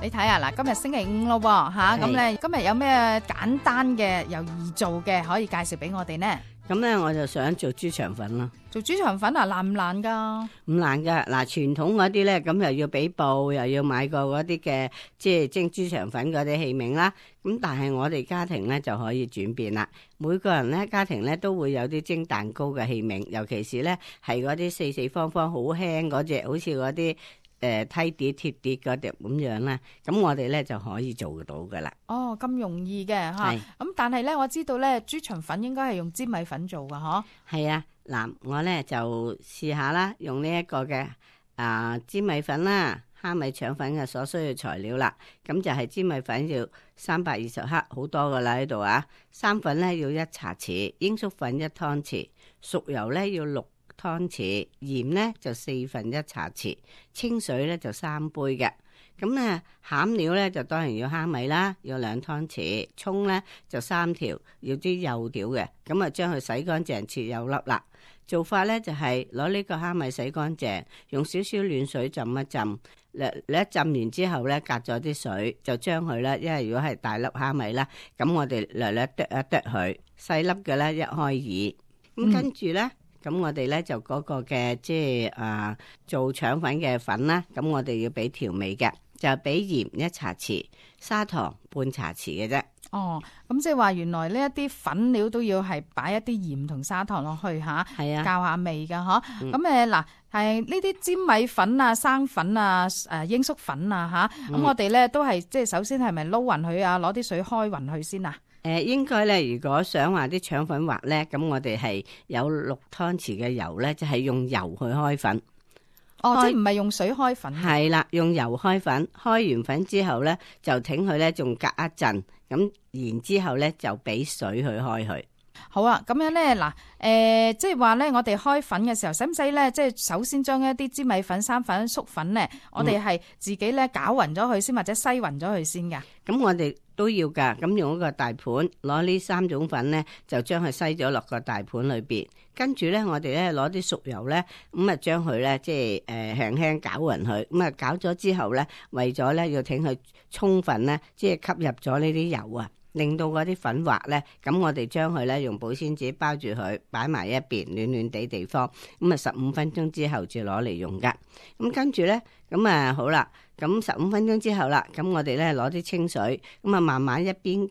你睇下嗱，今日星期5咯喎嚇，咁咧今日有咩簡單嘅又易做嘅可以介紹俾我哋呢？咁咧我就想做豬腸粉啦。做豬腸粉啊，難唔難㗎？唔難㗎。嗱，傳統嗰啲咧，咁又要俾布，又要買過嗰啲嘅即係蒸豬腸粉嗰啲器皿啦。咁但係我哋家庭咧就可以轉變啦。每個人咧家庭咧都會有啲蒸蛋糕嘅器皿，尤其是咧係嗰啲四四方方好輕嗰隻，好似嗰啲梯碟鐵碟嗰隻咁樣啦。咁我哋咧就可以做到㗎啦。哦，咁容易嘅嚇。咁但係咧，我知道咧豬腸粉應該係用粘米粉做㗎，嗬？係啊。嗱，我咧就試下啦，用呢一個嘅粘米粉啦，蝦米腸粉嘅所需要材料啦。咁就係粘米粉要320克，好多噶啦喺度啊。生粉咧要1茶匙，鷹粟粉1湯匙，熟油咧要6湯匙，鹽咧就1/4茶匙，清水咧就3杯嘅。咁咧餡料咧就當然要蝦米啦，要2湯匙，蔥咧就3條，要啲幼條嘅。咁啊將佢洗乾淨，切幼粒啦。做法咧就係攞呢個蝦米洗乾淨，用少少暖水浸一浸。你一浸完之後咧，隔咗啲水，就將佢咧，因為如果係大粒蝦米啦，咁我哋略略剁一剁佢，細粒嘅咧一開二。咁跟住咧，咁我哋咧就嗰個嘅即係做腸粉嘅粉啦，咁我哋要俾調味嘅，就俾鹽1茶匙，砂糖半茶匙嘅啫。哦，咁即係話原來呢一啲粉料都要係擺一啲鹽同砂糖落去嚇，係啊，教下味㗎嗬。咁嗱係呢啲粘米粉啊、生粉啊、鷹粟粉啊嚇，咁我哋咧都係即係首先係咪撈勻佢啊？攞啲水開勻佢先啊？應該咧，如果想話啲腸粉滑咧，咁我哋係有6湯匙嘅油咧，就係用油去開粉。哦，即係唔係用水開粉？係啦，用油開粉，開完粉之後咧，就挺佢咧，仲隔一陣，咁然之後咧就俾水去開佢。好啊，咁樣咧嗱，即係話咧，我哋開粉嘅時候，使唔使咧？即係首先將一啲粘米粉、生粉、粟粉咧，我哋係自己咧攪勻咗佢先，或者篩勻咗佢先㗎。咁我哋都要噶，咁用一個大盤，攞呢3種粉咧，就將佢篩咗落個大盤裏邊。跟住咧，我哋咧攞啲熟油咧，咁啊將佢咧即係輕輕攪勻佢。咁啊攪咗之後咧，為咗咧要挺佢充分咧，即係吸入咗呢啲油啊。令到嗰啲粉滑咧，咁我哋將佢咧用保鮮紙包住佢，擺埋一邊暖暖地方。咁啊15分鐘之後至攞嚟用噶。咁跟住咧，咁啊好啦，咁15分鐘之後啦，咁我哋咧攞啲清水，咁啊慢慢一邊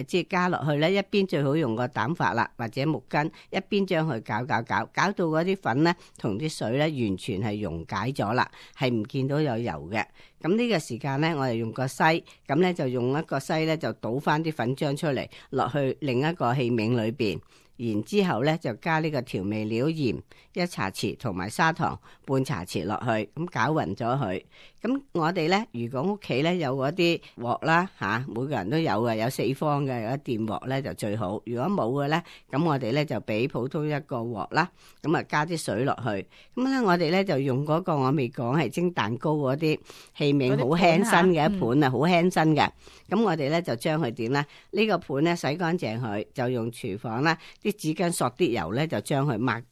即係加落去咧，一邊最好用個膽法啦，或者木巾，一邊將佢攪到嗰啲粉咧同啲水咧完全係溶解咗啦，係唔見到有油嘅。咁呢個時間咧，我哋用個篩，咁咧就用一個篩咧就倒翻啲粉漿出嚟，落去另一個器皿裏邊。然之後咧就加呢個調味料鹽1茶匙同埋砂糖半茶匙落去，咁攪勻咗佢。咁我哋咧如果屋企咧有嗰啲鑊啦嚇，每個人都有嘅，有4方嘅，有一電鑊咧就最好。如果冇嘅咧，咁我哋咧就俾普通一個鑊啦，咁啊加啲水落去。咁咧我哋咧就用嗰個我未講係蒸蛋糕嗰啲器皿，好輕身嘅一盤啊，好輕身嘅。咁我哋咧就將佢點咧？呢個盤咧洗乾淨佢，就用廚房啦啲紙巾索啲油咧，就將佢抹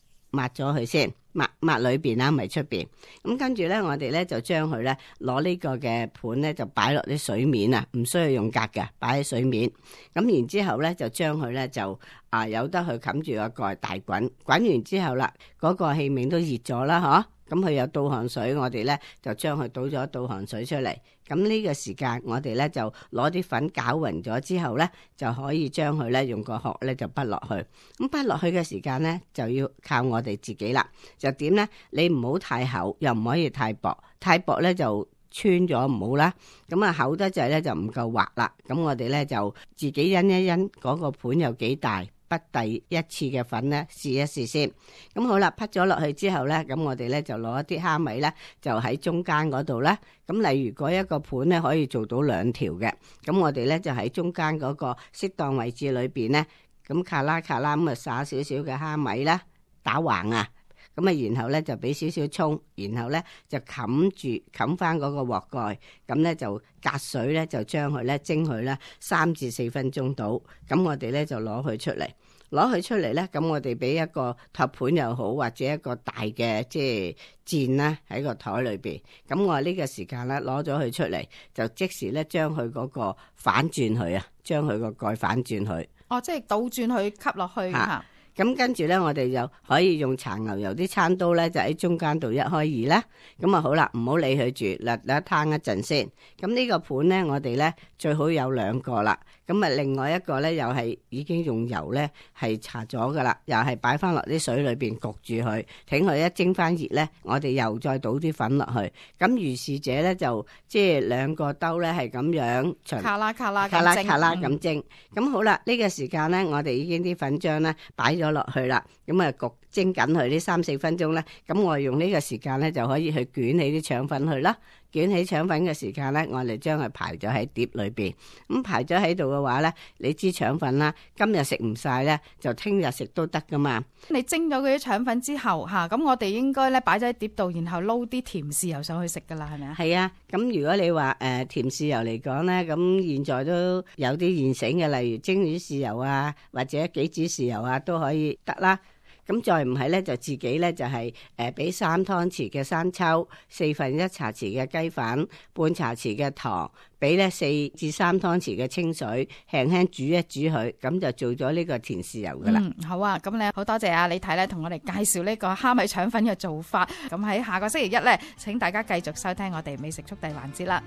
咗佢先，抹裏邊啦，唔係出邊。咁跟住咧，我哋咧就將佢咧攞呢個嘅盤咧就擺落啲水面啊，唔需要用格嘅，擺喺水面。咁然之後咧就將佢咧就由得佢冚住個蓋大滾，滾完之後啦，嗰個器皿都熱咗啦，嗬。咁佢有倒汗水，我哋咧就將佢倒咗倒汗水出嚟。咁呢個時間，我哋咧就攞啲粉攪勻咗之後咧，就可以將佢咧用個殼咧就滗落去。咁滗落去嘅時間咧，就要靠我哋自己啦。就點咧？你唔好太厚，又唔可以太薄。太薄咧就穿咗唔好啦。咁啊厚得滯咧就唔夠滑啦。咁我哋咧就自己因一因嗰個盤有幾大。滗第一次嘅粉咧，試一試先。咁好啦，滗咗落去之後咧，咁我哋咧就攞一啲蝦米咧，就喺中間嗰度啦。咁例如嗰一個盤咧，可以做到2條嘅。咁我哋咧就喺中間嗰個適當位置裏邊咧，咁卡啦咁啊撒少少嘅蝦米啦，打橫啊。咁啊，然後咧就俾少少蔥，然後咧就冚翻嗰個鑊蓋，咁咧就隔水咧就將佢咧蒸佢咧3至4分鐘到，咁我哋咧就攞佢出嚟。攞佢出嚟咧，咁我哋俾一個托盤又好，或者一個大嘅即係墊啦喺個台裏邊。咁我呢個時間咧攞咗佢出嚟，就即時咧將佢嗰個反轉佢啊，將佢個蓋反轉佢。哦，即係倒轉去吸落去嚇。咁跟住咧，我哋就可以用搽牛油啲餐刀咧，就喺中間度一開二啦。咁啊好啦，唔好理佢住，嗱攤一陣先。咁呢個盤咧，我哋咧最好有2個啦。咁啊，另外一個咧又係已經用油咧係搽咗噶啦，又係擺翻落啲水裏邊焗住佢，等佢一蒸翻熱咧，我哋又再倒啲粉落去。咁如是者咧就即係2個兜咧係咁樣卡啦卡啦卡啦卡啦咁蒸。咁好啦，呢個時間咧，我哋已經啲粉漿咧擺咗落去啦。咁啊焗蒸緊佢呢3-4分鐘咧，咁我用呢個時間咧就可以去捲起啲腸粉去啦。捲起腸粉嘅時間咧，我哋將佢排咗喺碟裏邊。咁排咗喺度嘅話咧，你知腸粉啦，今日食唔晒咧，就聽日食都得噶嘛。你蒸咗嗰啲腸粉之後嚇，咁我哋應該咧擺咗喺碟度，然後撈啲甜豉油上去食噶啦，係咪啊？係啊，咁如果你話甜豉油嚟講咧，咁現在都有啲現成嘅，例如蒸魚豉油啊，或者杞子豉油啊，都可以得啦。咁再唔係咧，就自己咧就係俾3湯匙嘅生抽，1/4茶匙嘅雞粉，半茶匙嘅糖，俾咧4至3湯匙嘅清水，輕輕煮一煮佢，咁就做咗呢個甜豉油噶啦。好啊，咁咧好多謝啊李太咧同我哋介紹呢個蝦米腸粉嘅做法。咁喺下個星期一咧，請大家繼續收聽我哋美食速遞環節啦。